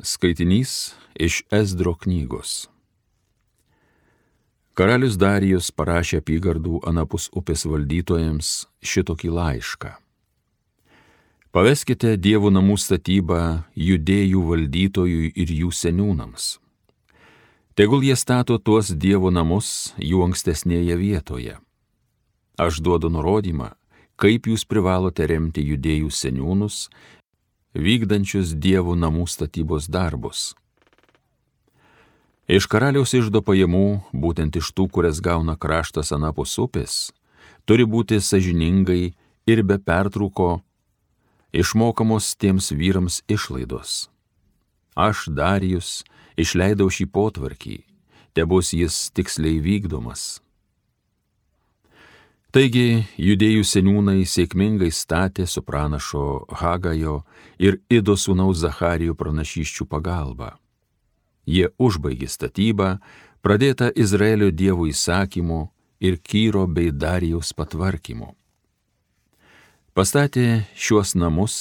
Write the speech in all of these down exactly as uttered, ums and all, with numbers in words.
Skaitinys iš Ezdro knygos. Karalius Darijus parašė apygardų anapus upės valdytojams šitokį laišką. Paveskite Dievo namų statybą Judėjų valdytojui ir jų seniūnams. Tegul jie stato tuos Dievo namus jų ankstesnėje vietoje. Aš duodu nurodymą, kaip jūs privalote remti Judėjų seniūnus, vykdančius Dievo namų statybos darbus. Iš karaliaus iždo pajamų, būtent iš tų, kurias gauna kraštas anapus upės, turi būti sąžiningai ir be pertrūko išmokamos tiems vyrams išlaidos. Aš, Darijus, išleidau šį potvarkį, tebus jis tiksliai vykdomas. Taigi, Judėjų seniūnai sėkmingai statė su pranašo Hagajo ir Ido sūnaus Zacharijo pranašysčių pagalba. Jie užbaigė statybą, pradėtą Izraelio Dievo įsakymu ir Kyro bei Darijaus patvarkymu. Pastatė šiuos namus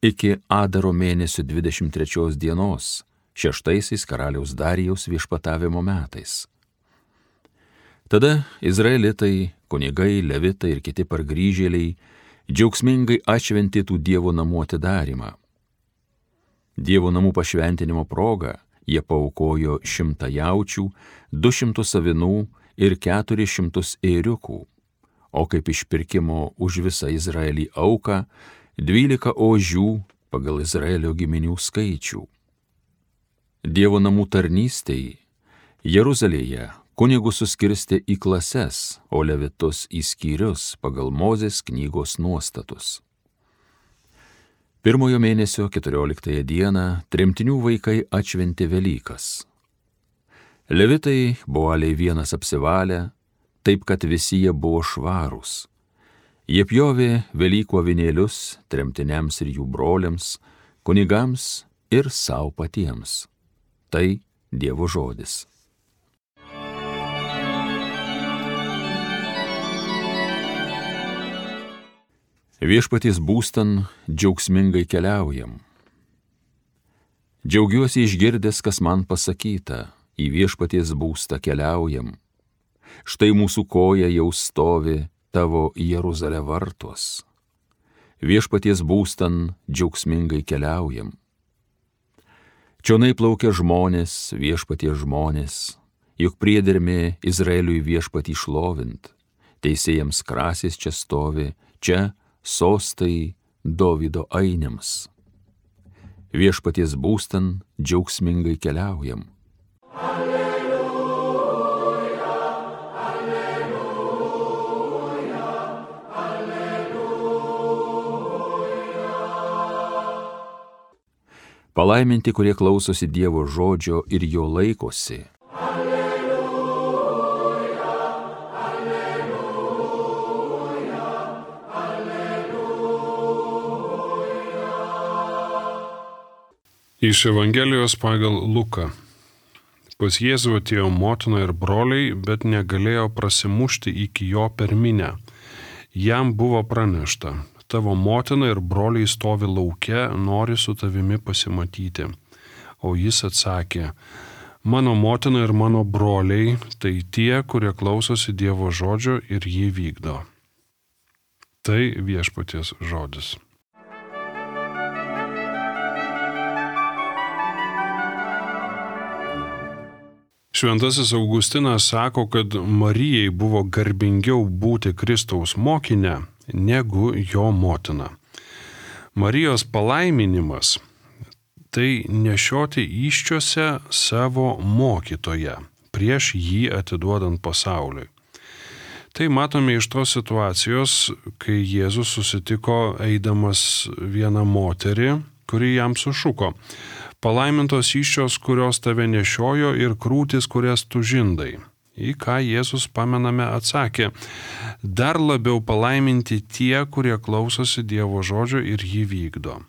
iki Adaro mėnesio dvidešimt trečios dienos, šeštaisiais karaliaus Darijaus viešpatavimo metais. Tada izraelitai, kunigai, levitai ir kiti pargrįžėliai džiaugsmingai atšventė tų Dievo namų atidarimą. Dievo namų pašventinimo proga jie paaukojo šimtą jaučių, du šimtus avinų ir keturis šimtus ėriukų, o kaip išpirkimo už visą Izraelį auką dvylika ožių pagal Izraelio giminių skaičių. Dievo namų tarnystei Jeruzalėje kunigus suskirstė į klases, o levitus į skyrius pagal Mozės knygos nuostatus. Pirmojo mėnesio keturioliktąją dieną tremtinių vaikai atšventė Velykas. Levitai buvo aliai vienas apsivalę, taip kad visi jie buvo švarūs. Jie pjovė Velykų avinėlius tremtiniams ir jų broliams, kunigams ir savo patiems. Tai Dievo žodis. Viešpaties būstan džiaugsmingai keliaujam. Džiaugiuosi išgirdęs, kas man pasakyta, į viešpaties būstą keliaujam. Štai mūsų koja jau stovi tavo Jeruzalė vartuos. Viešpaties būstan džiaugsmingai keliaujam. Čionai plaukia žmonės, viešpaties žmonės, juk priedermė Izraeliui viešpatį šlovint. Teisėjams krasės čia stovi, čia sostai Dovydo ainiams. Viešpaties būstan džiaugsmingai keliaujam. Alleluja, alleluja, alleluja. Palaiminti, kurie klausosi Dievo žodžio ir jo laikosi. Iš Evangelijos pagal Luką. Pas Jėzų atėjo motina ir broliai, bet negalėjo prasimušti iki jo per minią. Jam buvo pranešta: tavo motina ir broliai stovi lauke, nori su tavimi pasimatyti. O jis atsakė: mano motina ir mano broliai tai tie, kurie klausosi Dievo žodžio ir jį vykdo. Tai viešpaties žodis. Šventasis Augustinas sako, kad Marijai buvo garbingiau būti Kristaus mokinė negu jo motina. Marijos palaiminimas – tai nešioti įsčiose savo mokytoją prieš jį atiduodant pasauliui. Tai matome iš tos situacijos, kai Jėzus susitiko eidamas vieną moterį, kuri jam sušuko: palaimintos įsčios, kurios tave nešiojo, ir krūtis, kurias tu žindai. Į ką Jėzus, pamename, atsakė: dar labiau palaiminti tie, kurie klausosi Dievo žodžio ir jį vykdo.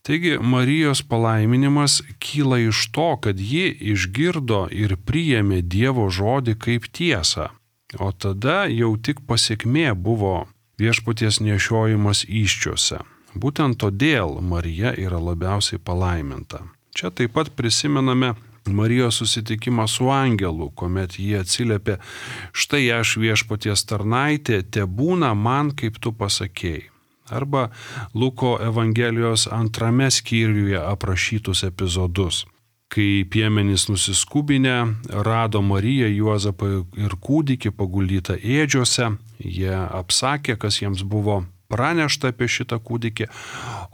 Taigi Marijos palaiminimas kyla iš to, kad ji išgirdo ir priėmė Dievo žodį kaip tiesą, o tada jau tik pasekmė buvo viešpaties nešiojimas įsčiose. Būtent todėl Marija yra labiausiai palaiminta. Čia taip pat prisimename Marijos susitikimą su angelu, kuomet jie atsiliepė: štai aš viešpaties tarnaitė, tebūna man, kaip tu pasakėjai. Arba Luko Evangelijos antrame skyriuje aprašytus epizodus, kai piemenys nusiskubinę rado Mariją, Juozapą ir kūdikį paguldytą ėdžiose, jie apsakė, kas jiems buvo pranešta apie šitą kūdikį,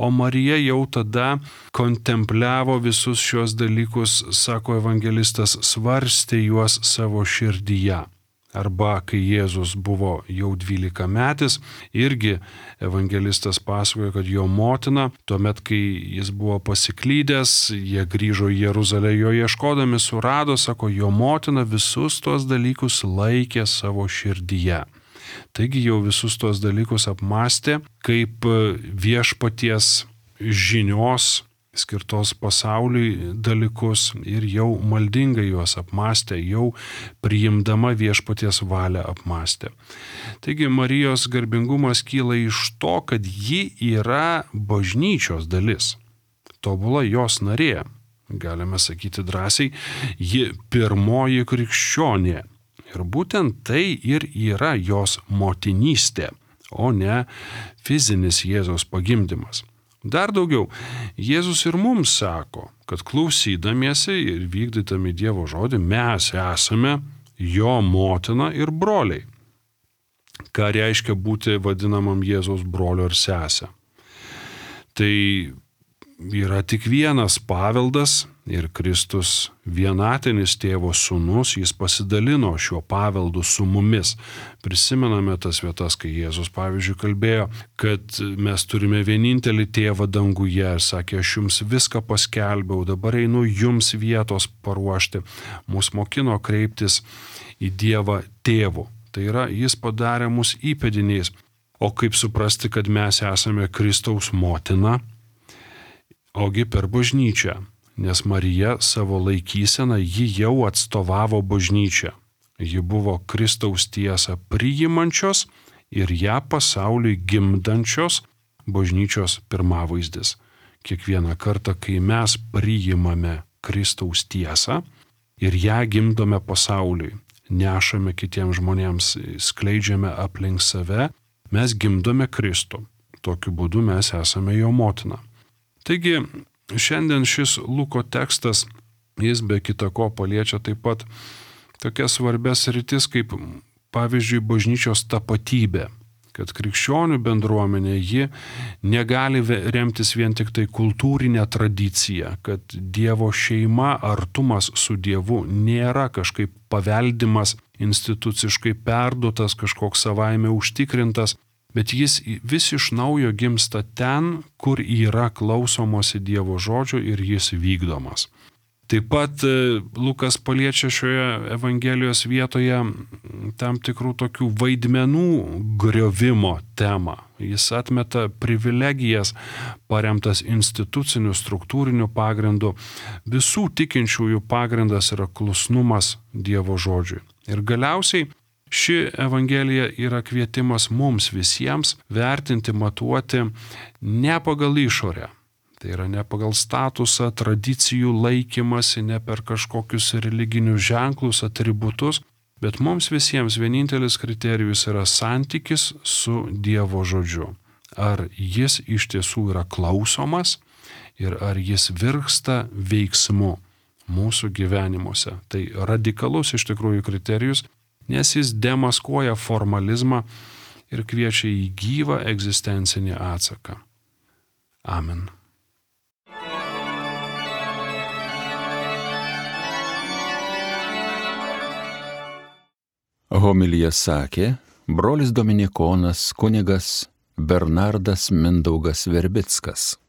o Marija jau tada kontempliavo visus šios dalykus, sako evangelistas, svarstė juos savo širdyje. Arba kai Jėzus buvo jau dvylikametis, irgi evangelistas pasakoja, kad jo motina, tuomet kai jis buvo pasiklydęs, jie grįžo į Jeruzalę jo ieškodami, surado, sako, jo motina visus tuos dalykus laikė savo širdyje. Taigi jau visus tuos dalykus apmastė kaip viešpaties žinios skirtos pasauliui dalykus ir jau maldingai juos apmastė, jau priimdama viešpaties valią apmastė. Taigi Marijos garbingumas kyla iš to, kad ji yra bažnyčios dalis, tobula jos narė, galime sakyti drąsiai, ji pirmoji krikščionė. Ir būtent tai ir yra jos motinystė, o ne fizinis Jėzaus pagimdymas. Dar daugiau, Jėzus ir mums sako, kad klausydamiesi ir vykdydami Dievo žodį mes esame jo motina ir broliai. Ką reiškia būti vadinamam Jėzaus brolio ir sesę? Tai yra tik vienas paveldas ir Kristus vienatinis tėvo sūnus, jis pasidalino šiuo paveldu su mumis. Prisimename tas vietas, kai Jėzus, pavyzdžiui, kalbėjo, kad mes turime vienintelį tėvą danguje ir sakė, aš jums viską paskelbiau, dabar einu jums vietos paruošti. Mūsų mokino kreiptis į Dievą tėvu. Tai yra, jis padarė mus įpėdiniais. O kaip suprasti, kad mes esame Kristaus motina? Ogi per bažnyčią, nes Marija savo laikyseną ji jau atstovavo bažnyčią. Ji buvo Kristaus tiesą priimančios ir ją pasauliui gimdančios bažnyčios pirmavaizdis. Kiekvieną kartą, kai mes priimame Kristaus tiesą ir ją gimdome pasauliui, nešame kitiems žmonėms, skleidžiame aplink save, mes gimdome Kristų. Tokiu būdu mes esame jo motina. Taigi, šiandien šis Luko tekstas, jis be kita ko paliečia taip pat tokias svarbias sritis kaip, pavyzdžiui, bažnyčios tapatybė, kad krikščionių bendruomenė ji negali remtis vien tik tai kultūrinė tradicija, kad Dievo šeima, artumas su Dievu nėra kažkaip paveldimas, instituciškai perduotas, kažkoks savaime užtikrintas, bet jis vis iš naujo gimsta ten, kur yra klausomosi Dievo žodžio ir jis vykdomas. Taip pat Lukas paliečia šioje Evangelijos vietoje tam tikrų tokių vaidmenų griovimo temą. Jis atmeta privilegijas paremtas instituciniu struktūriniu pagrindu. Visų tikinčiųjų pagrindas yra klusnumas Dievo žodžiui. Ir galiausiai ši Evangelija yra kvietimas mums visiems vertinti, matuoti ne pagal išorę. Tai yra ne pagal statusą, tradicijų laikymasi, ne per kažkokius religinius ženklus, atributus, bet mums visiems vienintelis kriterijus yra santykis su Dievo žodžiu. Ar jis iš tiesų yra klausomas ir ar jis virksta veiksmu mūsų gyvenimuose. Tai radikalus iš tikrųjų kriterijus, nes jis demaskuoja formalizmą ir kviečia į gyvą egzistencinį atsaką. Amen. Homiliją sakė brolis dominikonas kunigas Bernardas Mindaugas Verbickas.